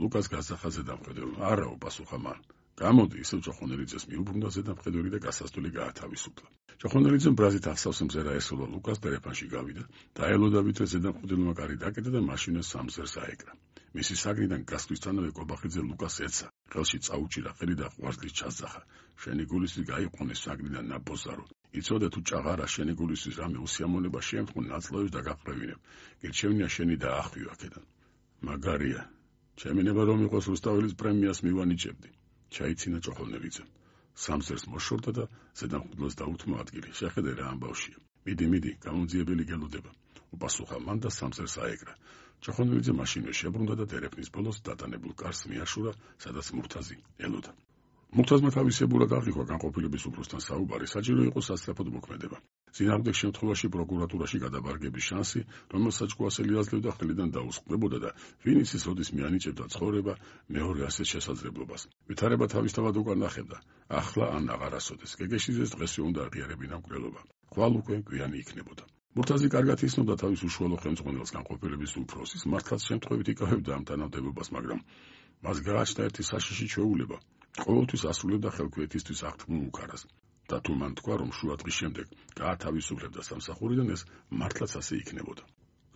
ლუკას გასახა ზედამხედველმა. არა, უპასუხა მან. გამოდი, ისევ ჭოხონელიძეს მიუბრუნდა ზედამხედველი და გასასვლელი გაათავისუფლა. ჭოხონელიძემ ბრაზით ახსავს მზერა ესულა ლუკას ტელეფონში გავიდა და ელოდა ვიდრე ზედამხედველმა კარი დაკეტა და მაშინას სამზერს აეკრა. მისი საგნიდან გასვლისთანავე კობახიძე ლუკას ეცა, ხელში წაუჭირა ხელი და ყვარლის ჩასძახა. შენი გულისთვის გაიყვანე საგნიდან ნაბოზარო. იცოდე თუ ჭაღარა შენი გულისთვის რამე უსიამოვნება შეემთხვა ნაწლავებს და გაყრევინებ. გირჩევნია შენი დაახვიო აქედან. მაგარია. ჩემი ნება რომ იყოს რუსთაველის პრემიას მივანიჭებდი. ჩაიცინა ჭოხონელიძემ. სამზერს მოშორდა და ზედამხედველს დაუთმო ადგილი. შეხედე რა ამბავშია. მიდი, გამოძიებელი გელოდება. უპასუხა მან და სამზერს აეკრა. ჭოხონელიძე მაშინვე შებრუნდა და დერეფნის ბოლოს დატანებულ კარს მიაშურა, სადაც მურთაზი ელოდა. მურთაზმა თავისებურად აღიქვა განყოფილების უფროსთან საუბარი, საჭირო იყო სასწრაფოდ მოქმედება. წინააღმდეგ შემთხვევაში პროკურატურაში გადაბარგების შანსი, რომელსაც ჭკუასელი აძლევდა ხელიდან დაუსხმდებოდა და ვინ იცის როდის მიანიჭებდა ცხოვრება მეორე ასეთ შესაძლებლობას. ვითარება თავისთავად უკან ნახებდა. ახლა ან აღარასოდეს. გეგეშიძეს დღესვე უნდა აღიარებინა მკვლელობა. ხვალ უკვე გვიანი იქნებოდა. მურთაზი კარგად იცნობდა თავის უშუალო ხელმძღვანელს განყოფილების უფროსის, მართლაც შემთხვევით იკავებდა ამ თანამდებობას, მაგრამ მას გააჩნდა ერთი საშიში ჩვეულება. ყოველთვის ასრულებდა ხელქვეითისთვის აღთქმულ უკარას. და თუ მან თქვა, რომ შუა დღის შემდეგ გაათავისუფლებდა სამსახურიდან, ეს მართლაც ასე იქნებოდა.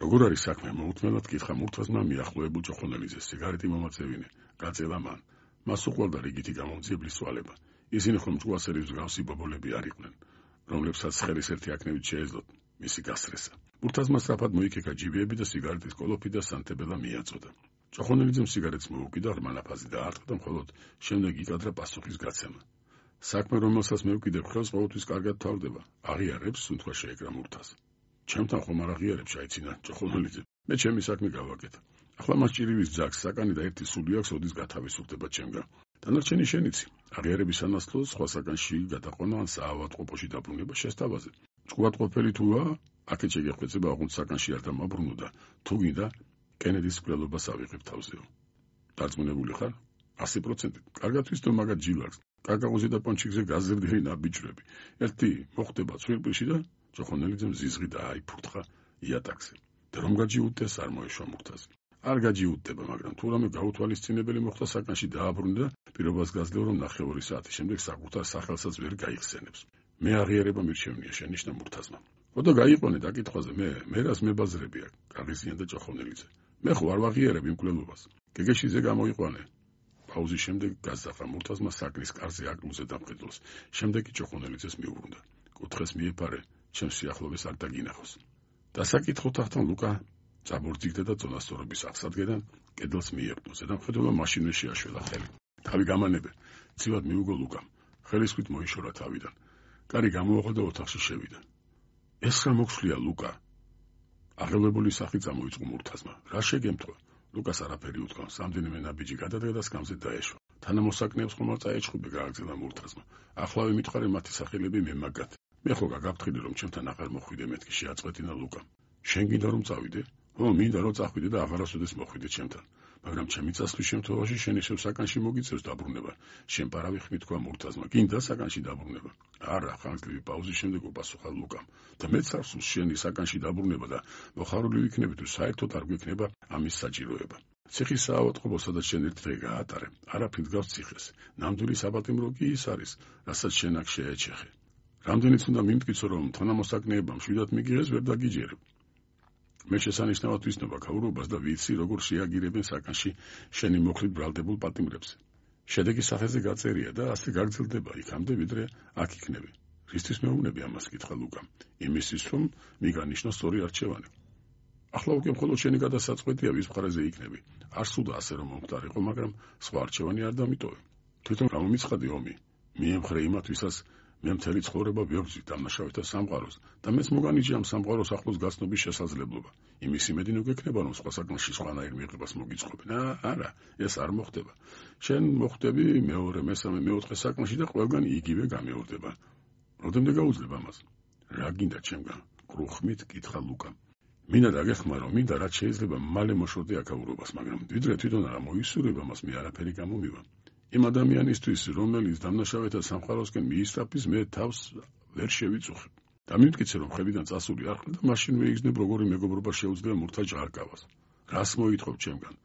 როგორ არის საქმე? მოუთმენად კითხა მურთაზმა მიახლოებულ ჭოხონელიძეს. სიგარეტი მომაწევინე, გაწევა მან. მას უყვარდა რიგითი გამომძიებლის სვალება. ისინი ხომ ჭკუასელის მსგავსი ბობოლები არ იყვნენ, რომლებსაც ხელის ერთი აქნევით შეეძლოთ მისი გასწრესა. მურთაზმა სწრაფად მოიქეკა ჯიბეები და სიგარეტის კოლოფი და სანთებელა მიაწოდა. ჭოხონელიძემ სიგარეტს მოუკიდა, ღრმა ნაფაზი დაარტყა და მხოლოდ შემდეგ იკადრა პასუხის გაცემა. საქმე, რომელსაც მე ვკიდებ ხელს, ყოველთვის კარგად თავდება. აღიარებს, სუნთქვა შეეკრა მურთაზ. ჩემთან ხომ არ აღიარებს, ჩაიცინა ჭოხონელიძე. მე ჩემი საქმე გავაკეთე. ახლა მას ჭირივის ძაგს საკანი და ერთი სული აქვს, ოდის გათავისუფლდება ჩემგან. დანარჩენი შენიცი. აღიარების სანაცვლოდ სხვა საკანში გადაყვანა ან საავადმყოფოში დაბრუნება შესთავაზე. ჭკუატყოფელი თუა, აქეთ შეგეხვეწება, ოღონდ საკანში არ დამაბრუნო და თუ გინდა კენედის მკვლელობას ავიღებ თავზეო. დარწმუნებული ხარ? 100%. კარგად ვიცნობ მაგათ ჯილაკს. კაკაოზე და პონჩიკზე გაზრდილი ნაბიჯრები. ერთი მოხდება ცვირპილში და ჭოხონელიძემ ზიზღი დააიფურთხა იატაკზე. და რომ გაჯიუტდეს, არ მოეშვა მურთაზი. არ გაჯიუტდება, მაგრამ თუ რამე გაუთვალისწინებელი მოხდა საკანში დააბრუნდა, პირობას გაძლევ, რომ 9 საათის შემდეგ საკუთარ სახელსაც ვერ გაიხსენებს. მე აღიარება მირჩევნია, შენიშნა მურთაზმა. ხოდა გაიყვანე დაკითხვაზე, მე რას მებაზრები აქ? გაღიზიანდა ჭოხონელიძე. მე ხო არ ვაღიარებ იმ მკვლელობას. გეგეშიძე გამოიყვანე. პაუზის შემდეგ გასძახა მურთაზმა საკნის კარზე აკრულ ზედამხედველს. შემდეგ კი ჭოხონელიძეს მიუბრუნდა. კუთხეს მიეფარე, ჩემს სიახლოვეს არ დაგინახოს. დასაკითხო თახთან ლუკა წაბორძიგდა და წონასწორობის აღსადგენან კედელს მიეყო. ზედამხედველმა მაშინვე შეაშველა ხელი. თავი გამანებე, ცივად მიუგო ლუკამ. ხელისქვით მოიშორა თავიდან. კარი გამოაყო და ოთახში შევიდა. ეს რა მოგხსლია, ლუკა? აღელვებული სახით წამოიწყო მურთაზმა. რა შეგემთქვა? ლუკას არაფერი უთქვა. სამდენიმე ნაბიჯი გადადგა და სკამზე დაეშვა. თანამოსაკნეებს ხომ არ წაეჭხუბე, გააგრძელა მურთაზმა. ახლავე მითხარე მათი სახელები მე მაგათ. მე ხო გაგაფრთხილე, რომ ჩემთან აღარ მოხვიდე, მეთქი შეაწყვეტინა ლუკამ. შენ გინდა რომ წავიდე? ო, მინდა რომ წახვიდე და აღარასოდეს მოხვიდე ჩემთან. მაგრამ ჩემი წასვლის შემთხვევაში შენ ისევ საკანში მოგიწევს დაბრუნება. შენ პარავი ხმი თქვა მურთაზმა. გინდა საკანში დაბრუნება? არა, ხანგრძლივი პაუზის შემდეგ უპასუხა ლუკამ. და მეც არ სურს შენი საკანში დაბრუნება და მოხარული ვიქნები თუ საერთოდ არ გვექნება ამის საჭიროება. ციხის საავადმყოფო, სადაც შენ ერთ დღე გაატარე. არაფრით გავს ციხეს. ნამდვილი საპატიმრო კი ის არის, რასაც შენ აქ შეეჩეხე. რამდენიც უნდა მიმტკიცო, რომ თანამოსაკნეებმა მშვიდად მიგიღეს, ვერ დაგიჯერებ. მე შესანიშნავად ვიცნობ აქაურობას და ვიცი, როგორ შეაგირებენ საკანში შენი მოხლით ბრალდებულ პატიმრებს. შედეგი სახეზე გაწერია და ასე გაგრძელდება იქამდე, ვიდრე აქ იქნები. რისთვის მეუბნები ამას? კითხა ლუკამ. იმისთვის, რომ მიგანიშნო სწორი არჩევანი. ახლა უკვე მხოლოდ შენი გადასაწყვეტია, ვის მხარეზე იქნები. არ სურდა ასე რომ მომხდარიყო, მაგრამ სხვა არჩევანი არ დამიტოვე. თვითონ გამომიცხადე ომი. მიემხრე იმათ, ვისაც მე მთელი ცხოვრება ვებრძვი დამნაშავეთა სამყაროს და მეც მოგანიჭი ამ სამყაროს ახლოს გაცნობის შესაძლებლობა. იმის იმედი ნუგექნება, რომ სხვა საკანში სხვანაირ მიღებას მოგიწყობენ. არა, ეს არ მოხდება. შენ მოხდები მეორე, მესამე, მეოთხე საკანში და ყველგან იგივე გამეორდება. როდემდე გაუძლებ ამას? რა გინდა ჩემგან? კრუხმით კითხა ლუკამ. მინდა დაგეხმარო, მინდა რაც შეიძლება მალე მოშორდე აქაურობას, მაგრამ ვიდრე თვითონ არ მოისურვება მას, მე არაფერი გამომივა. იმ ადამიანისთვის, რომელიც დამნაშავეთა სამყაროსკენ მიისწრაფის, მე თავს ვერ შევიწუხებ. და მიმტკიცე, რომ ხელიდან წასული არ ხარ და მაშინ ვეიგზნებ, როგორი მეგობრობა შეუძლია მურთაზ ჟღარკავას. რას მოითხოვ ჩემგან?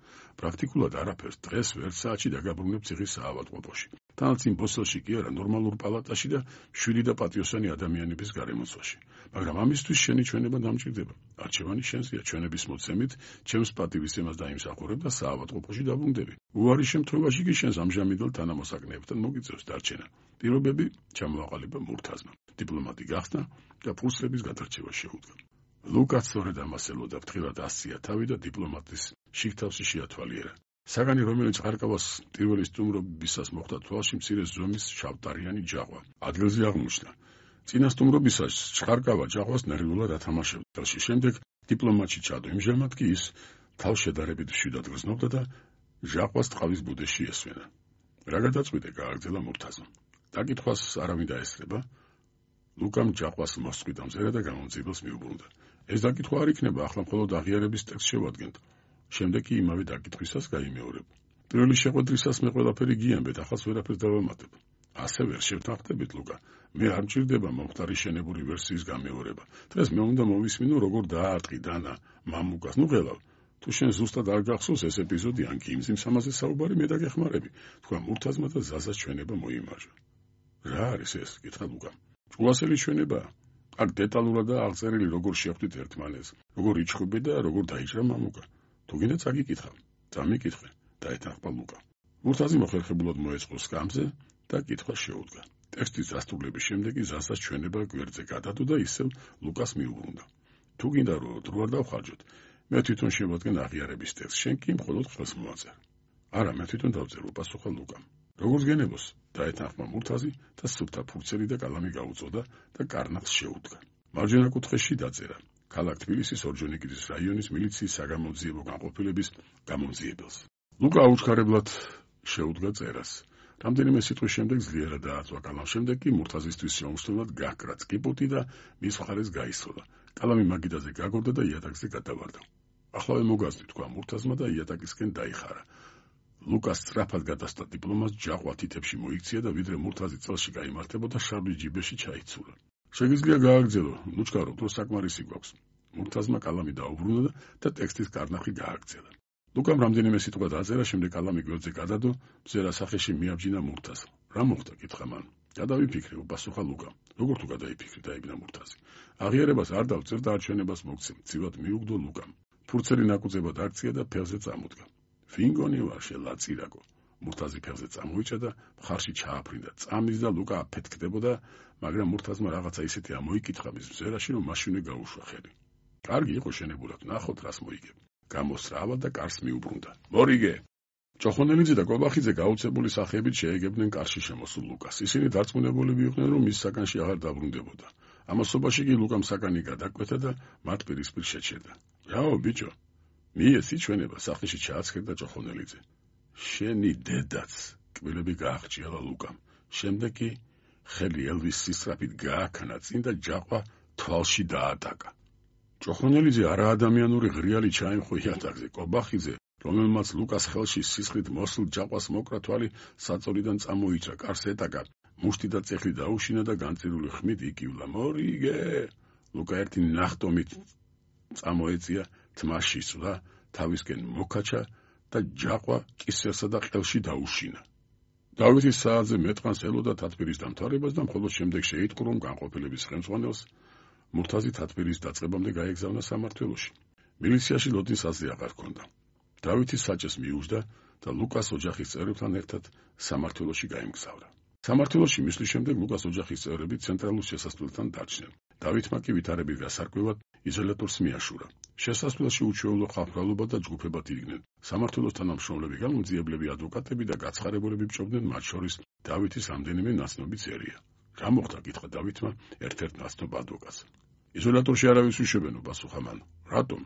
პრაქტიკულად არაფერს, დღეს ვერც საათში დაგაბრუნებ ციხის საავადმყოფოში. თანაც იმ ბოსელში კი არა, ნორმალურ პალატაში და 7 და პატიოსანი ადამიანების გარემოცვაში. მაგრამ ამისთვის შენი ჩვენება დამჭირდება. არჩევანი შენზეა, ჩვენების მოცემით, ჩემს პატივისცემას დაიმსახურებ და საავადმყოფოში დაბრუნდები. უარის შემთხვევაში კი შენს ამჟამინდელ თანამოსაგნეებთან მოგიწევს დარჩენა. პირობები ჩამოაყალიბა მურთაზმა. დიპლომატი გახსნა და ფურცლების გადარჩევა შეუდგა. ლუკაც სწორედ ამას ელოდა, ფრთხილად ასწია თავი და დიპლომატის შიგთავსი შეათვალიერა. საგანი, რომელიც ხარკავას პირველი სტუმრობისას მოხვდა თვალში, მცირე ზომის შავტარიანი ჯაყვა. ადგილზე აღმოჩნდა. წინა სტუმრობისას ხარკავა ჯაყვას ნერვიულად ათამაშებდა. წელში შემდეგ დიპლომატში ჩადო. იმჟამად კი ის თავშედარებით მშვიდად გრძნობდა და ჟაყვას ტყავის ბუდეში ესვენა. რა გადაწყვიტე, გააგრძელა მურთაზმა. დაკითხვას არავინ დაესწრება. ლუკამ ჯაყვას მოსწყვიტა მზერა და გამომძიებელს მიუბრუნდა. ეს დაკითხვა არ იქნება, ახლა მხოლოდ აღიარების ტექსტს შევადგენთ. შემდეგ კი იმავე დაკითხვისას გაიმეორებ. პირველი შეხვედრისას მე ყველაფერი გიამბეთ, ახალს ვერაფერს დავამატებ. ასე ვერ შევთანხმდებით, ლუკა. მე არ მჭირდება მომხდარი შენებული ვერსიის გამეორება. დღეს მე უნდა მოვისმინო, როგორ დაარტყი დანა მამუკას. ნუ ღელავ. თუ შენ ზუსტად არ გახსოვს ეს ეპიზოდი, ან კი იმ სიმსამაზე საუბარი, მე დაგეხმარები. თქვა მურთაზმა და ზაზას ჩვენება მოიმარჯვა. რა არის ეს? კითხა ლუკამ. ჭულასელი ჩვენებაა. აქ დეტალურადაა აღწერილი, როგორ შეხვდით ერთმანეთს, როგორ იჩხუბე და როგორ დაიჭრა მამუკა. თუ გინდა წაგიკითხავ. წამიკითხე, დაეთანხმა ლუკა. მურთაზი მოხერხებულად მოეწყო სკამზე და კითხვა შეუდგა. ტექსტის დასრულების შემდეგ ზასას ჩვენება გვერდზე გადადო და ისევ ლუკას მიუბრუნდა. თუ გინდა რომ დრო არ დავხარჯოთ, მე თვითონ შევადგენ აღიარების ტექსტს, შენ კი მხოლოდ ხელს მოაწერე. არა, მე თვითონ დავწერო, პასუხა ლუკამ. როგორც გენებოს, დაეთანხმა მურთაზი და სუფთა ფურცელი და კალამი გაუწოდა და კარნახს შეუდგა. მარჯვენა კუთხეში დაწერა. ქალაქ თბილისის ორჯონიკიძის რაიონის მილიციის საგამოძიებო განყოფილების გამომძიებელს. ლუკა აუჩქარებლად შეუდგა წერას. რამდენიმე სიტყვის შემდეგ ძლიერად დააწვა კალამ, შემდეგ კი მურთაზისთვის შეუმჩნევლად გაქრა წკიპუტი და მის მხარეს გაისროლა. კალამი მაგიდაზე გაგორდა და იატაკზე გადავარდა. ახლავე მოგაზდი, თქვა მურთაზმა და იატაკისკენ დაიხარა. ლუკას სწრაფად გადასტა დიპლომატს ჯაყვა თითებში მოიქცია და ვიდრე მურთაზი წელში გაიმართებოდა, შარბი ჯიბეში ჩაიცულა. შეგიძლია გააგრძელო, ლუჩკარო, დრო საკმარისი გვაქვს. მურთაზმა კალამი დაუბრუნა და ტექსტის კარნახი გააგრძელა. ლუკამ რამდენიმე სიტყვა დაწერა, შემდეგ კალამი გვერდზე გადადო, მზერა სახეში მიაბჯინა მურთაზს. რა მოხდა, კითხა მან. გადავიფიქრე, პასუხა ლუკა. როგორ თუ გადაიფიქრე, დაიბნა მურთაზი. აღიარებას არ დავწერ და არჩენებას მოგცემ, ცივად მიუგდო ლუკამ. ფურცელი ნაკუწებად აქცია და ფეხზე წამოდგა. ვინგონი ვარ, შელაწირაკო. მურთაზი ფეხზე წამოიჭა და მხარში ჩააფრინდა. წამის და ლუკა აფეთქდებოდა, მაგრამ მურთაზმა რაღაცა ისეთი ამოიკითხა მის მზერაში, რომ მაშინვე გაუშვა ხელი. კარგი იყო შენებურად, ნახოთ რას მოიგებ. გამოსრავა და კარს მიუბრუნდა. მორიგე! ჭოხონელიძე და კობახიძე გაუცებული სახეებით შეეგებდნენ კარში შემოსულ ლუკას. ისინი დარწმუნებულები იყვნენ, რომ მის საგანში აღარ დაბრუნდებოდა. ამასობაში კი ლუკამ საგანი გადაკვეთა და მათ პირისპირ შეჩერდა. რაო, ბიჭო, მიეცი ჩვენება, სახეში ჩააცქერდა ჭოხონელიძე. შენი დედაც, კბილები გააღჭიალა ლუკამ. შემდეგ კი ხელი ელვის სისწრაფით გააქნა წინ და ჯაყვა თვალში დაატაკა. ჭოხონელიძე არაადამიანური ღრიალი ჩაიმხო იატაკზე. კობახიძე, რომელმაც ლუკას ხელში სისხლით მოსულ ჯაყვას მოკრა თვალი, საწოლიდან წამოიჭრა, კარს ეტაკა, მუშტი და წეხლი დაუშინა და განწირული ხმით იკივლა. მორიგე! ლუკა ერთი ნახტომით წამოეწია, თმაში სვლა, თავისკენ მოკაჩა და ჯაყვა კისერსა და ყელში დაუშინა. დავითის საათზე მეტყანს ელოდა თათბირის დამთავრებას და მხოლოდ შემდეგ შეიტყო, რომ განყოფილების ხელმძღვანელს მურთაზი თათბირის დაწყებამდე გაეგზავნა სამმართველოში. მილიციაში ლოდის აზრი აღარ ჰქონდა. დავითის საჭეს მიუждდა და ლუკას ოჯახის წევრებთან ერთად სამმართველოში გაემგზავრა. სამმართველოში მისვლის შემდეგ ლუკას ოჯახის წევრები ცენტრალურ შესასვლელთან დარჩნენ. დავითმა კი ვითარებით გასარკვევად იზოლატორს მიაშურა. შესასვლელში უჩვეულო ხალხმრავლობა და ჯგუფებად იდგნენ. სამმართველოს თანამშრომლები, გამომძიებლები, ადვოკატები და გაცხარებულები ბჭობდნენ, მათ შორის დავითის რამდენიმე ნაცნობი წერია. რა მოხდა, კითხა დავითმა ერთ-ერთ ნაცნობ ადვოკატს. იზოლატორში არავის უშვებენო, პასუხა მან. რატომ?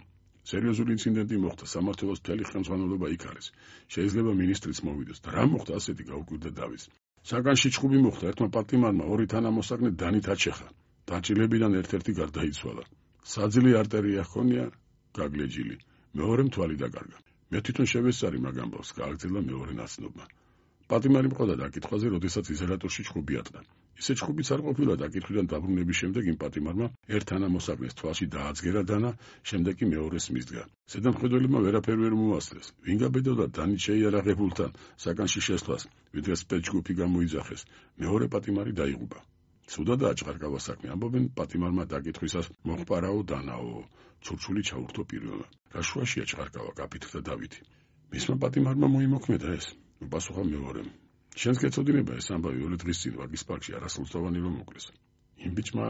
სერიოზული ინციდენტი მოხდა, სამმართველოს მთელი ხელმძღვანელობა იქ არის. შეიძლება მინისტრიც მოვიდეს. და რა მოხდა, ასეთი გაუკვირდა დავითს. საგანში ჩხუბი მოხდა, ერთმა პარტიმარმა ორი თანამოსაგნე დანით აჩეხა. დაჭილებიდან ერთ-ერთი გარდაიცვალა. საძილი არტერია ჰქონია, გაგლეჯილი. მეორემ თვალი დაკარგა. მე თვითონ შევესწარი მაგ ამბავს, გააგრძელა მეორე ნაცნობმა. პატიმარი მყავდა დაკითხვაზე, როდესაც იზოლატორში ჩხუბი ატყდა. ისე ჩხუბიც არ ყოფილა დაკითხვიდან დაბრუნების შემდეგ იმ პატიმარმა ერთ თანამოსაგნეს თვალში დააძგერა დანა, შემდეგ კი მეორეს მისდგა. ზედამხედველებმა ვერაფერი ვერ მოასწრეს. ვინ გაბედოდა დანით შეიარაღებულთან საკანში შესვლას, ვიდრე სპეცჯგუფი გამოიძახეს. მეორე პატიმარი დაიღუპა. სუდადაა ჭყარკავა საქმე, ამბობენ პატიმარმა დაკითხვისას მოხპარაო დანაო, ჩურჩული ჩაურთო პირველმა. რა შუაშია ჭყარკავა, გაფითრდა დავითი. მისმა პატიმარმა მოიმოქმედა ეს. უპასუხა მეორემ. შენს გეცოდინება ეს ამბავი 2 დღის წინ ვაგის პარკში არასრულწლოვანი რომ მოკლეს. იმ ბიჭმა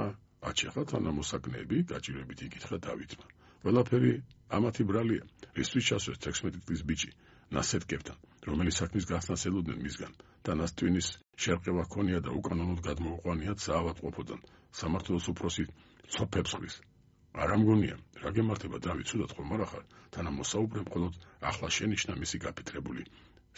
აჩეხა თანამოსაგნეები, გაჭირვებით იკითხა დავითმა. ყველაფერი ამათი ბრალია, რისთვის ჩასვეს 16 წლის ბიჭი, ნასეტკებთან, რომელიც საქმის გახსნას ელოდნენ მისგან, და ნასტვინის შერყევა ჰქონია და უკანონოდ გადმოუყვანიათ საავადმყოფოდან, სამართლოს უფროსი ცოფებს ხრის. არ ამგონია, რა გემართება დავით, ცუდად ხომ არ ახარ, თანამოსაუბრემ მხოლოდ ახლა შენიშნა მისი გაფიქრებული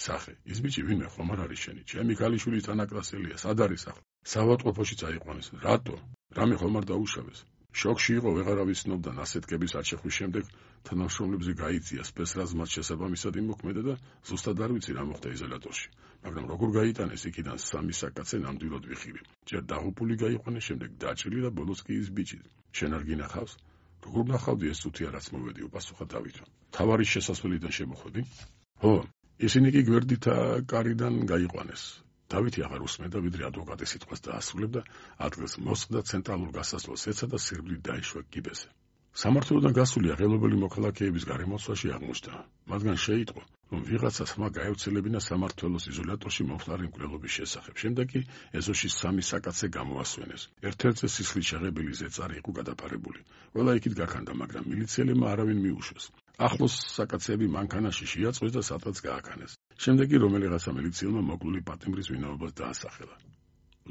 სახე. ის ბიჭი ვინმე ხომ არ არის შენი, ჩემი ქალიშვილის თანაკლასელია, სად არის ახლა? საავადმყოფოში წაიყვანეს. რატო? რამე ხომ არ დაუშავეს? შოკში იყო, ვეღარავის ცნობდა ნასეტკების არჩეხვის შემდეგ თანამშრომლებზე გაიწია სპეცრაზ მათ შესაბამისად იმოქმედა და ზუსტად არ ვიცი რა მოხდა იზოლატორში. მაგრამ როგორ გაიტანეს იქიდან 3 საკაცე ნამდვილად ვიხილე. ჯერ დაღუპული გაიყვანეს, შემდეგ დაჭრილი და ბოლოს კი ის ბიჭი. შენ არ გინახავს? როგორ ნახავდი ეს წუთია რაც მოვედი, უპასუხა დავითმა. თავარის შესასვლელიდან შემოხვედი? ხო, ისინი კი გვერდითა კარიდან გაიყვანეს. დავითი აღარ უსმენდა, ვიდრე ადვოკატის სიტყვას დაასრულებდა, ადგილს მოსხდა, ცენტრალურ გასასვლელს ეცა და სირბლით დაიშვა კიბეზე. სამართლოდან გასული აღელობელი მოქალაქეების გარემოცვაში აღმოჩნდა. მათგან შეიტყო, რომ ვიღაცა ხმა გაევრცელებინა სამართლოს იზოლატორში მომხდარი მკვლელობის შესახებ. შემდეგ კი ეზოში 3 საკაცე გამოასვენეს. ერთ-ერთზე სისხლის შეღებილი ზეწარი იყო გადაფარებული. ყველა იქით გაქანდა, მაგრამ მილიციელებმა არავინ მიუშვეს. ახლოს საკაცები მანქანაში შეაწყვეს და სადღაც გააქანეს. შემდეგ კი რომელიღაცა მილიციელმა მოკლული პატიმრის ვინაობას დაასახელა.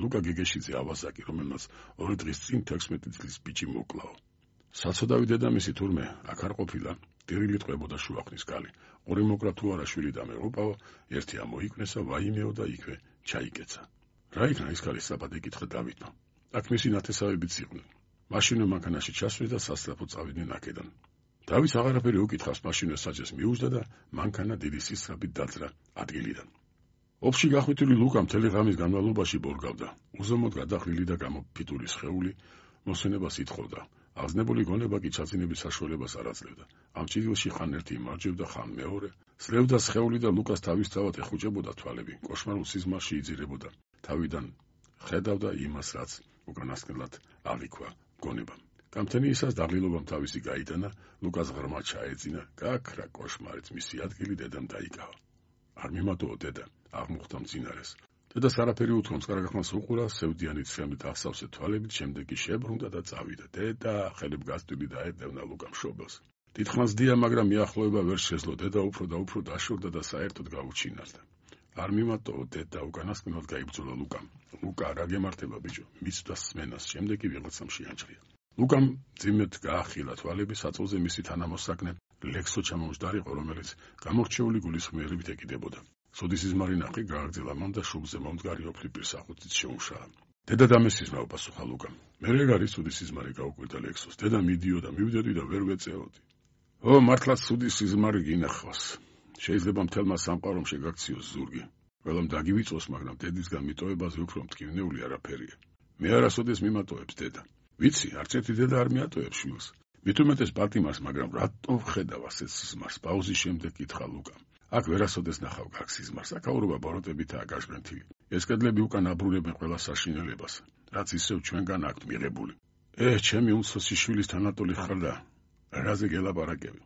ლუკა გეგეშიძე ავაზაკი, რომელმაც 2 დღის წინ 16 წლის ბიჭი მოკლაო. საცოდავი დედამისი თურმე აქ არ ყოფილა, ტირილით ყვებოდა შუახნის კალი. ორი მოკლა თუ არა შვილი დამეღუპაო, ერთი ამოიკნესა, ვაიმეო და იქვე ჩაიკეცა. რა იქნა ის კალის საბად ეკითხა დავითმა. აქ მისი ნათესავებიც იყვნენ. მაშინვე მანქანაში ჩასვეს და სასწრაფო წავიდნენ აქედან. დავითს აღარაფერი უკითხავს, მაშინვე საჯეს მიუძდა და მანქანა დიდი სისწრაფით დაძრა ადგილიდან. ოფში გახვითული ლუკა მთელი ღამის განმავლობაში ბორგავდა. უზომოდ გადახრილი და გამოფიტული სხეული მოსვენებას ითხოვდა. აღზნებული გონება კი ჩაძინების საშუალებას არ აძლევდა. ამ ჭრილში ხან ერთი იმარჯვებდა, ხან მეორე. სლევდა სხეული და ლუკას თავისთავად ეხუჭებოდა თვალები. კოშმარულ სიზმარში იძირებოდა. თავიდან ხედავდა იმას, რაც უკანასკნელად აღიქვა გონებამ. გამთენიისას დაღლილობამ თავისი გაიტანა, ლუკას ღრმა ჩაეძინა, გაქრა კოშმარიც, მისი ადგილი დედამ დაიკავა. არ მიმატოო დედა, აღმოხდა მძინარეს. დედას არაფერი უთქვა, მწყარაგახმას უყურა, სევდიანი ცხენით ახსავსე თვალებით, შემდეგ კი შებრუნდა და წავიდა. დედა ხელებ გასტვილი დაედევნა ლუკამ შობელს. დიდხანს დია, მაგრამ მიახლოება ვერ შეძლო. დედა უფრო და უფრო დაშორდა და საერთოდ გაუჩინარდა. არ მიმატოო დედა, უკანასკნელად გაიბრძოლა ლუკამ. ლუკა რა გემართება ბიჭო, მისვდა სმენას, შემდეგ კი ვიღაცამ შეანჭრია. ლუკამ ძიმედ გაახილა თვალები, საწოლზე მისი თანამოსაგნე ლექსო ჩამომჯდარიყო, რომელიც გამორჩეული გულისხმიერებით ეკიდებოდა. სუდისიზმარი ნახი გააგრძელა მან და შუბზე მომდგარი ოფლი პირსახუთით შეუშალა. დედა დამესიზმა, უპასუხა ლუკამ. მე რეგ არის სუდისიზმარი, გაუკვირდა ლექსოს. დედა მიდიოდა, მივიდოდი და ვერ ვეწეოდი. ო, მართლაც სუდისიზმარი გინახავს. შეიძლება მთელმა სამყარომ შეგაქციოს ზურგი. ყველამ დაგივიწოს, მაგრამ დედისგან მიტოვებაზე უფრო მტკივნეული არაფერია. მე არასოდეს მიმატოებს დედა. ვიცი, არც ერთი დედა არ მიატოვებს შვილს. მით უმეტეს პატიმარს, მაგრამ რატო ვხედავ ასეთ სიზმარს? პაუზის შემდეგ კითხა ლუკამ. აქ ვერასოდეს ნახავ გაქ სიზმარს, აკაურობა ბოროტებითაა გაშგრენთილი. ეს კედლები უკან აბრუნებენ ყველა საშინელებას, რაც ისევ ჩვენგან აქვთ მიღებული. ჩემი უმცროსი შვილის თანატოლი ხარ და რაზე გელაპარაკები?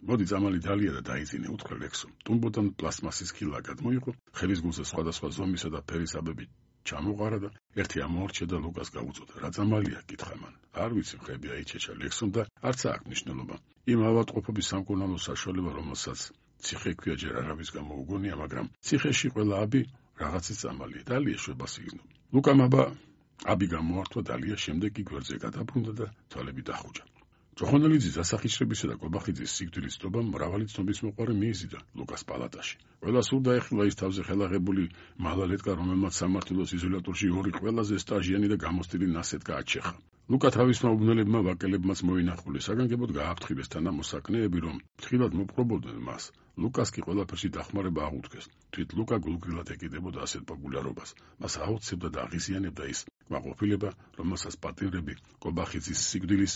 მოდი წამალი დალია და დაიძინე, უთხრა ლექსომ. ტუმბოდან პლასმასის ქილა გადმოიღო, ხელის გულზე სხვადასხვა ზომისა და ფერის აბები ჩამოყარა და ერთი ამოარჩა და ლუკას გაუწოდა. რა წამალია? კითხა მან. არ ვიცი, ხები აიჩეჩა ლექსომ და არც აქვს მნიშვნელობა. იმ ავადმყოფობის სამკურნალო საშუალება, რომელსაც ციხე ქვია, ჯერ არავის გამოუგონია, მაგრამ ციხეში ყველა აბი რაღაცის წამალია. დალია შვებას იგრძნო. ლუკამ აბი გამოართვა, დალია შემდეგ კი გვერდზე გადაბრუნდა და თვალები დახუჭა. ჯოხონელიძის დასახიჩრებისა და კობახიძის სიკვდილის ცნობამ მრავალი ცნობის მოყარე მიიზიდა ლუკას პალატაში. ყველა სულ დაეხილა ის თავზე ხელაღებული მალალეტკა, რომელმაც სამართლოს იზოლატორში ორი ყველაზე სტაჟიანი და გამოცდილი ნასეტკა აჩეხა. ლუკა თავისმა უბნელებმა ვაკელებმაც მოინახულეს, საგანგებოდ გააფრთხილეს თანამოსაკნეები, რომ ფრთხილად მოპყრობოდნენ მას. ლუკას კი ყველაფერში დახმარება აღუდგეს. თვით ლუკა გულგრილად ეკიდებოდა ასეთ პოპულარობას. მას აუცებდა და აღიზიანებდა ის კმაყოფილება, რომელსაც პატიმრები კობახიძის სიკვდილის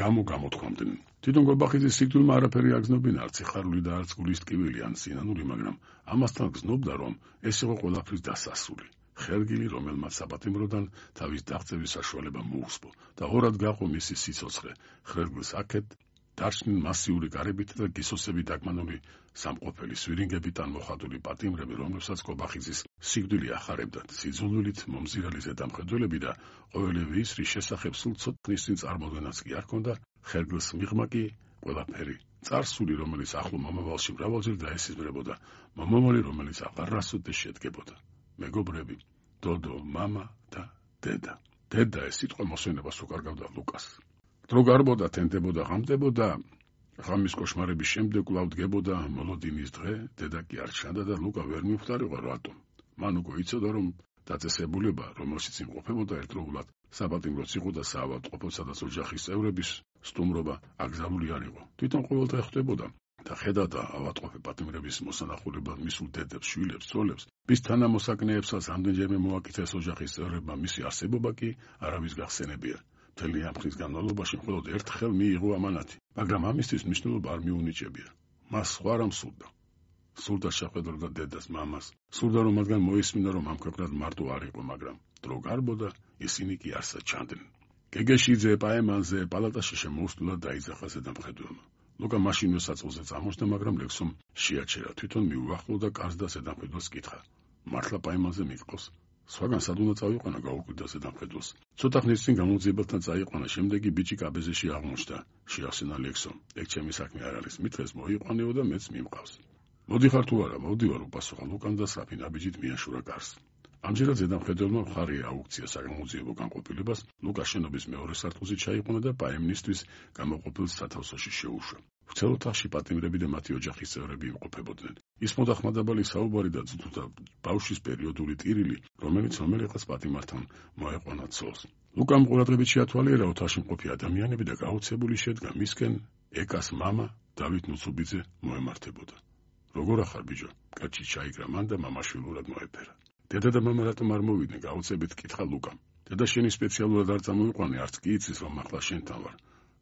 გამო გამოთქვამდნენ. თვითონ კობახიძის სიკვდილმა არაფერი აგზნობინა, არც სიხარული და არც გულის ტკივილი ან სინანული, მაგრამ ამასთან გზნობდა, რომ ეს იყო ყველაფრის დასასრული. ხერგილი, რომელმაც საპატიმროდან თავის დაღწევის საშუალება მოუსპო და ორად გაყო მისი სიცოცხლე. ხერგილს აქეთ დარჩნენ მასიური გარებით და გისოსები დაგმანული სამყოფელი სვირინგებით ან მოხატული პატიმრები, რომლებსაც კობახიძის სიკვდილი ახარებდათ. სიძულვილით მომზირალი ზედამხედველები და ყოველივე ის, რის შესახებ სულ ცოტნის წინ წარმოდგენაც კი არ ჰქონდა, ხერგილს მიღმა კი ყველაფერი წარსული, რომელიც ახლო მომავალში მრავალჯერ დაესიზმრებოდა, მომავალი, რომელიც აღარასოდეს შედგებოდა. მეგობრები, დოდო, მამა და დედა. დედა ეს სიტყვა მოსვენებას უკარგავდა ლუკას. დრო გარბოდა, თენდებოდა, ღამდებოდა, ღამის კოშმარების შემდეგ კვლავ დგებოდა მოლოდინის დღე, დედა კი არ ჩანდა და ლუკა ვერ მიხვდარიყო რატომ. მან უკვე იცოდა, რომ დაწესებულება, რომელშიც იმყოფებოდა ერთდროულად საპატიმროც იყო და საავადმყოფო, სადაც ოჯახის წევრების სტუმრობა აკრძალული არ იყო. თვითონ ყოველდღე ხვდებოდა და ხედავდა ავადმყოფი პატიმრების მოსანახულებად მისულ დედებს, შვილებს, ცოლებს, bis თანამოსაკნეებსაც ამდენჯერმე მოაკითხეს ოჯახის წევრებმა მისი არსებობა კი არავის გახსენებია. მთელი ამ ხნის განმავლობაში მხოლოდ ერთხელ მიიღო ამანათი, მაგრამ ამისთვის მნიშვნელობა არ მიუნიჭებია. მას სხვა რამ სურდა. სურდა შეხვედროდა დედას, მამას, სურდა რომ მათგან მოისმინა, რომ ამ ქვეყნად მარტო არ იყო, მაგრამ დრო გარბოდა, ისინი კი არსად ჩანდნენ. გეგეშიძე, პაემანზე, პალატაში შემოუსტულად დაიძახა ზედამხედველმა. ლუკა მაშინვე საწყოზე წამოჩნდა, მაგრამ ლექსომ შეაჩერა. თვითონ მიუახლოვდა კარს და ზედამხედველს კითხა. მართლა პაემანზე მიყვოს? სხვაგან სად უნდა წავიყვანა, გაუკვირდა ზედამხედველს. ცოტა ხნის წინ გამოძიებელთან წაიყვანა, შემდეგ კი ბიჭი კაბეზეში აღმოჩნდა. შეახსენა ლექსომ. ეგ ჩემი საქმე არ არის, მითხეს მოიყვანეო და მეც მიმყავს. მოდიხარ თუ არა, მოდივარ, უპასუხა ლუკამ და საფი ნაბიჯით მიაშურა კარს. ამჯერად ზედამხედველმა მხარი აუქცია საგამოძიებო განყოფილებას, ლუკა შენობის მეორე სართულზე ჩაიყვანა და პაემნისტვის გამოყოფილ სათავსოში შეუშვა. ვრცელ ოთახში პატიმრები და მათი ოჯახის წევრები იმყოფებოდნენ. ისმოდა ხმადაბალი საუბარი და ძუძუდა ბავშვის პერიოდული ტირილი, რომელიც რომელიღაც პატიმართან მოეყვანა ცოლს. ლუკამ ყურადღებით შეათვალიერა ოთახში მყოფი ადამიანები და გაოცებული შედგა მისკენ ეკას მამა დავით ნუცუბიძე მოემართებოდა. როგორ ახარ ბიჭო? კაცი ჩაიგრა მან და მამაშვილურად მოეფერა. დედა და მამა რატომ არ მოვიდნენ? გაოცებით კითხა ლუკამ. დედა შენი სპეციალურად არ წამოიყვანე, არც კი იცის, რომ ახლა შენთან ვარ.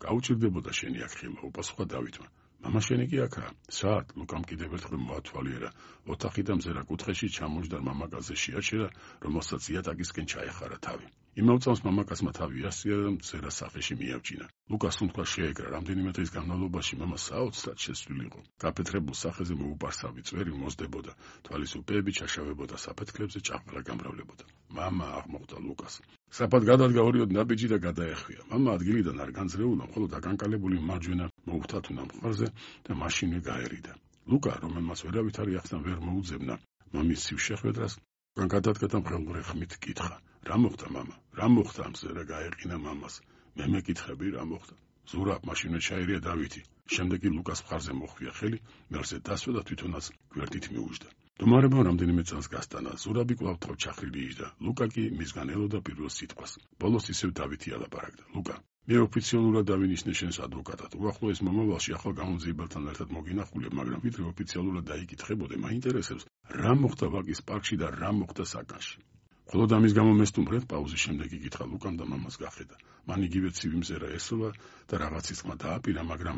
გაუჭირდებოდა შენი აქ ხილვა, უპასუხა დავითმა. მამა შენი კი აქაა. საათ? ლუკამ კიდევ ერთხელ მოათვალიერა. ოთახი და მზერა კუთხეში ჩამოჯდა მამაკაცზე შეაჩერა, რომელსაც იატაკისკენ ჩაეხარა თავი. იმავე წამს მამაკაცმა თავი ასწია და მზერა სახეში მიაბჯინა. ლუკას თუნდაც შეეკრა, რამდენიმე დღის განმავლობაში მამა საოცრად შეცვლილი იყო. გაფეთრებულ სახეზე მოუპარსავი წვერი მოსდებოდა, თვალის უპეები ჩაშავებოდა საფეთქლებზე, ჭაღვრა გამრავლებოდა. მამა აღმოხდა ლუკას. საფად გადადგა ორიოდ ნაბიჯი და გადაეხვია. მამა ადგილიდან არ განძრეულა, მხოლოდ აკანკალებული მარჯვენა მოუხთათუნა მყარზე და მაშინვე გაერიდა. ლუკა, რომელმაც ვერავითარი ახსნა ვერ მოუძებნა მამის ცივ შეხვედრას, გადადგა მღელვარე ხმით კითხა. რა მოხდა მამა? რა მოხდა? მზერა გაეყინა მამას. მე მეკითხები რა მოხდა? ზურაბ მაშინვე ჩაერია დავითი. შემდეგ კი ლუკას მხარზე მოხვია ხელი, მერზე დასვა და თვითონაც გვერდით მიუჯდა. დუმარებმა რამდენიმე წელს გასტანა. ზურაბი კვლავ თავ ჩახრილი იჯდა. ლუკა კი მისგან ელოდა პირველ სიტყვას. ბოლოს ისევ დავითი ალაპარაკდა. ლუკა, მე ოფიციალურად დავინიშნე შენს ადვოკატად. უახლოეს მომავალში ახალ გამოძიებელთან ერთად მოგინახულებ, მაგრამ ვიდრე ოფიციალურად დაიკითხებოდე, მაინტერესებს რა მოხდა ვაკის პარკში და რა მოხდა საკანში. მხოლოდ ამის გამო მესტუმრეთ? პაუზის შემდეგ იკითხა ლუკამ და მამას გახედა. მან იგივე ცივი მზერა ესოლა და რაღაცის ხმა დააპირა, მაგრამ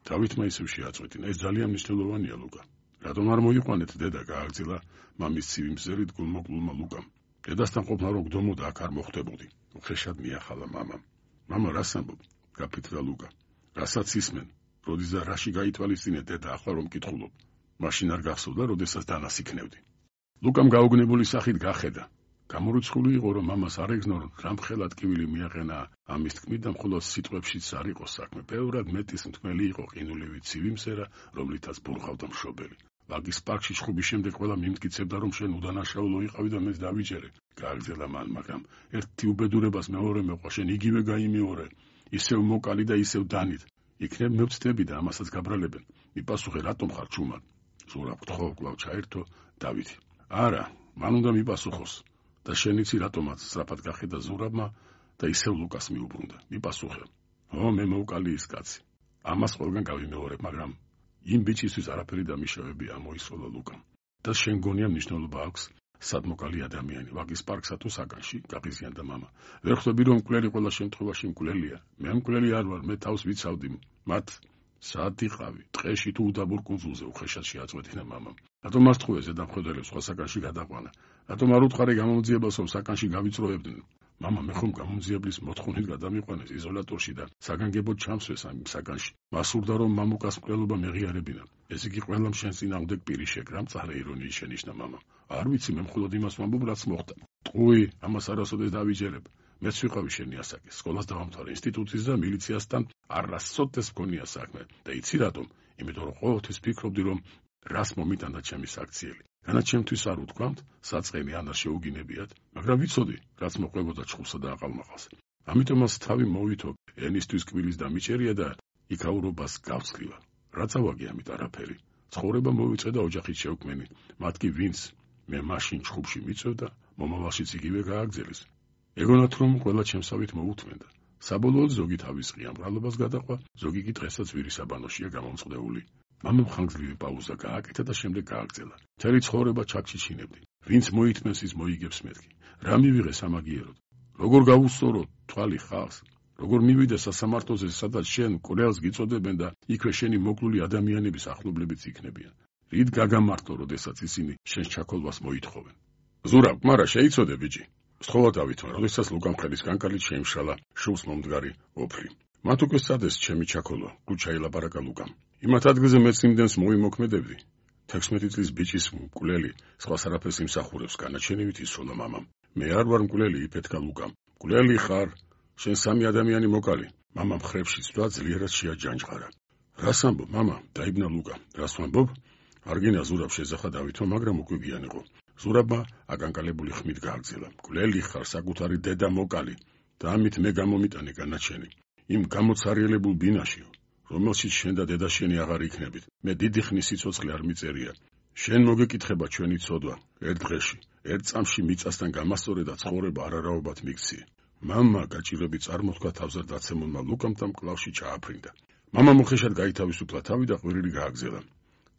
დავითმა ისევ შეაწყვეტინა. ეს ძალიან მნიშვნელოვანია, ლუკა. რატომ არ მოიყვანეთ? დედა გააგრძელა მამის ცივი მზერით გულმოკლულმა ლუკამ. დედასთან ყოფნა რო გდომოდა, აქ არ მოხვდებოდი. უხეშად მიახალა მამამ. მამა რას ამბობ? გაფიცრდა ლუკა. რასაც ისმენ, როდის და რაში გაითვალისწინე დედა, ახლა რომ კითხულობ. მაშინ არ გახსოვდა, როდესაც დანასიქნევდი. ლუკამ გაუგნებული სახით გახედა. გამორიცხული იყო, რომ მამას არ ეგზნო, რამხელა ტკივილი მიაყენა ამის თქმით და მხოლოდ სიტყვებშიც არ იყო საქმე. ბევრად მეტის მთმელი იყო ყინულივი ცივი მზერა, რომლითაც ბურხავდა მშობელი. ვაგის პარკში ჩხუბის შემდეგ ყველა მიმტკიცებდა, რომ შენ უდანაშაულო იყავი და მეც დავიჯერე. გააგრძელა მან, მაგრამ ერთი უბედურებას მეორე მეყვა, შენ იგივე გაიმეორე. ისევ მოკალი და ისევ დანით. იქნებ მევცდები და ამასაც გაბრალებენ. მიპასუხე, რატომ ხარ ჩუმად? ზურაბ გთხოვ, კვლავ ჩაერთო დავითი. არა, მან უნდა მიპასუხოს. და შენიცი რატომაც? სწრაფად გახედა ზურაბმა და ისევ ლუკას მიუბრუნდა. მიპასუხე. ო, მე მოვკალი ის კაცი. ამას ყველგან გავიმეორებ, მაგრამ იმ ბიჭისთვის არაფერი დამიშავები ამოისროლა ლუკამ. და შენ გონია მნიშვნელობა აქვს სად მოკალი ადამიანი, ვაგის პარკსა თუ საგანში, გაღიზიანდა მამა. ვერ ხვდები რომ მკვლელი ყველა შემთხვევაში მკვლელია. მე მკვლელი არ ვარ, მე თავს ვიცავდი მათ სად იყავი, ტყეში თუ უდაბურ კუნძულზე უხეშად შეაწყვეტინა მამამ. რატომ არ თქვია ზედამხედველებს სხვა საგანში გადაყვანა? რატომ არ უთხარი გამომძიებელს რომ საგანში გავიწროებდნენ? მამა მე ხომ გამომძიებლის მოთხოვნით გადამიყვანეს იზოლატორში და საგანგებოდ ჩამსვეს ამ საგანში. მასურდა რომ მამუკას მკვლელობა მეღიარებინა. ეს იგი ყველამ შენს წინააღმდეგ პირი შეკრა, მწარე ირონიის შენიშნა მამამ. არ ვიცი, მე მხოლოდ იმას ვამბობ, რაც მოხდა. ტყუი, ამას არასოდეს დავიჯერებ. მეც ვიყავი შენი ასაკის, სკოლას დავამთავრე, ინსტიტუტის და მილიციასთან არასოდეს მქონია საქმე. და იცი რატომ? იმიტომ რომ ყოველთვის ფიქრობდი რომ რას მომიტანდა ჩემი საქციელი. განაჩემთვის არ უთქვამთ, საწყენი ან არ შეუგინებიათ, მაგრამ ვიცოდი, რაც მოყვებოდა ჩხუბსა და აყალმაყას. ამიტომაც თავი მოვითო, ენისთვის კბილის დამიჭერია და იქაურობას გავცლივა. რაც ავაგე ამით არაფერი. ცხოვრება მოვიწყე და ოჯახით შევკმენი. მათ კი ვინც მე მაშინ ჩხუბში მიწევდა, მომავალშიც იგივე გააგრძელის. ეგონათ რომ ყველა ჩემსავით მოუთმენდა. საბოლოოდ ზოგი თავის ღია მრავლობას გადაყვა, ზოგი კი დღესაც ვირისაბანოშია გამომწყდეული. მამამ ხანგრძლივი პაუზა გააკეთა და შემდეგ გააგრძელა. მთელი ცხოვრება ჩაქჩიჩინებდი. ვინც მოითმენს ის მოიგებს მეთქი. რა მივიღე სამაგიეროდ? როგორ გავუსწორო თვალი ხალხს? როგორ მივიდე სასამართლოზე, სადაც შენ მკვლელს გიწოდებენ და იქვე შენი მოკლული ადამიანების ახლობლებიც იქნებიან? რით გაგამართლო, როდესაც ისინი შენს ჩაქოლვას მოითხოვენ? ზურაბ, მარა შეიცოდე ბიჭი. სთხოვა დავითმა, როდესაც ლუკამ ხელის კანკალით შეიმშალა შუბს მომდგარი ოფლი. მათ უკვე სადეს ჩემი ჩაქოლვა, გუჩა ელაპარაკა ლუკამ. იმათ ადგილზე მეც იმდენს მოვიმოქმედებდი. 16 წლის ბიჭის მკვლელი, სხვას არაფერს იმსახურებს, განაჩენივით ისროლა მამამ. მე არ ვარ მკვლელი, იფეთქა ლუკამ. მკვლელი ხარ, შენ სამი ადამიანი მოკალი. მამამ ხრებში ცვლა ძლიერად შეაჯანჯღარა. რას ამბობ, მამა? დაიბნა ლუკა. რას ვამბობ? არგინა ზურაბ შეძახა დავითმა, მაგრამ უკვე გიანიყო. ზურაბმა აკანკალებული ხმით გააგრძელა. მკვლელი ხარ, საკუთარი დედა მოკალი და ამით მე გამომიტანე განაჩენი. იმ გამოცარიელებულ ბინაში, რომელშიც შენ და დედა შენი აღარ იქნებით. მე დიდი ხნის სიცოცხლე არ მიწერია. შენ მოგეკითხება ჩვენი ცოდვა, ერთ დღეში, ერთ წამში მიწასთან გამასწორე და ცხოვრება არარაობად მიქცია. მამა გაჭირები წარმოთქვა თავზე დაცემულმა ლუკამ და მკლავში ჩააფრინდა. მამა მოხეშად გაითავისუფლა თავი და ყვირილი გააგზელა.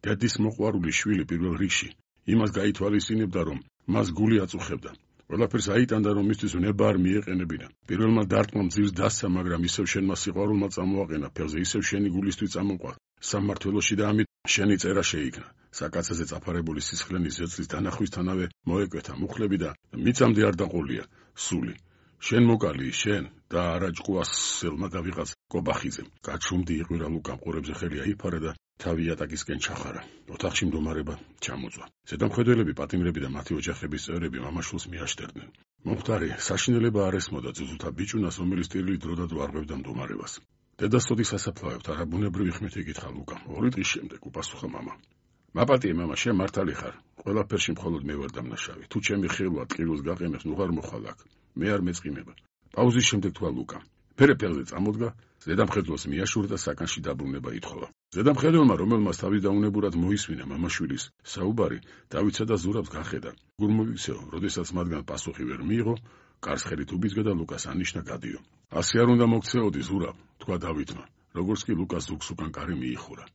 დედის მოყვარული შვილი პირველ რიგში იმას გაითვალისწინებდა, რომ მას გული აწუხებდა. ყველაფერს აიტანდა, რომ მისთვის ვნება არ მიეყენებინა. პირველმა დარტყმა მძირს დასცა, მაგრამ ისევ შენმა სიყვარულმა წამოაყენა ფეხზე, ისევ შენი გულისთვის წამოყვა სამმართველოში და ამით შენი წერა შეიქნა. საკაცაზე წაფარებული სისხლენის ზეწლის დანახვისთანავე მოეკვეთა მუხლები და მიწამდე არ დაყოლია სული. შენ მოკალი, შენ და არა ჭკუასელმა და ვიღაც კობახიძემ. გაჩუმდი იყვირა ლუკამ ყურებზე ხელი აიფარა და თავი იატაკისკენ ჩახარა. ოთახში მდგომარეობა ჩამოწვა. ზედამხედველები, პატიმრები და მათი ოჯახების წევრები მამაშვილს მიაშტერდნენ. მომხდარი საშინელება არ ესმოდა ძუძუთა ბიჭუნას, რომელიც ტირილი დროდადრო არღვევდა მდგომარებას. დედა სოდი სასაფლავებთ, არაბუნებრივი ხმით ეკითხა ლუკამ. 2 დღის შემდეგ უპასუხა მამა. მაპატიე მამა, შენ მართალი ხარ. ყველაფერში მხოლოდ მე ვარ დამნაშავე. თუ ჩემი ხილვა ტყილულს გაყენებს, ნუ არ მოხვალ აქ. მე არ მეწყიმება. პაუზის შემდეგ თქვა ლუკამ. ფერეფერზე წამოდგა, ზედამხედველს მიაშურდა და საკანში დაბრუნება ითხოვა. ზედამხედველმა, რომელმაც თავის დაუნებურად მოისმინა მამაშვილის საუბარი, დავითსა და ზურაბს გახედა. გულ მოიქცეო, როდესაც მათგან პასუხი ვერ მიიღო, კარს ხელით უბიძგა და ლუკას ანიშნა გადიო. ასე არ უნდა მოქცეოდი, ზურაბ, თქვა დავითმა, როგორც კი ლუკას ზუგს უკან კარი მიიხურა.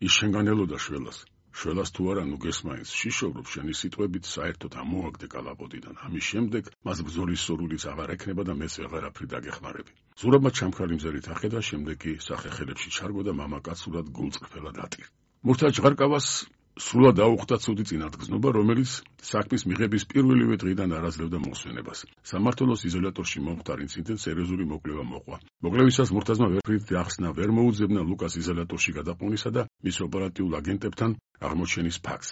ის შენგან ელოდა შველას. შველას თუ არა, ნუ გესმაინს, შიშოვრობ შენი სიტყვებით საერთოდ ამოაგდე კალაპოტიდან. ამის შემდეგ მას ბრძოლის სურვილიც აღარ ექნება და მეც ვეღარაფრით დაგეხმარები. ზურაბმა ჩამქრალი მზერით ახედა, შემდეგ კი სახეხელებში ჩარგო და მამაკაცურად გულწრფელად ატირ. მურთა ჭღარკავას სულად აუხდა ცუდი წინათგზნობა, რომელიც საქმის მიღების პირველივე დღიდან არ აძლევდა მოსვენებას. სამმართველოს იზოლატორში მომხდარ ინციდენტს სერიოზული მოკვლევა მოყვა. მოკლევისას მურთაზმა ვერაფრით ახსნა ვერ მოუძებნა ლუკას იზოლატორში გადაყვანისა და მის ოპერატიულ აგენტებთან აღმოჩენის ფაქტს.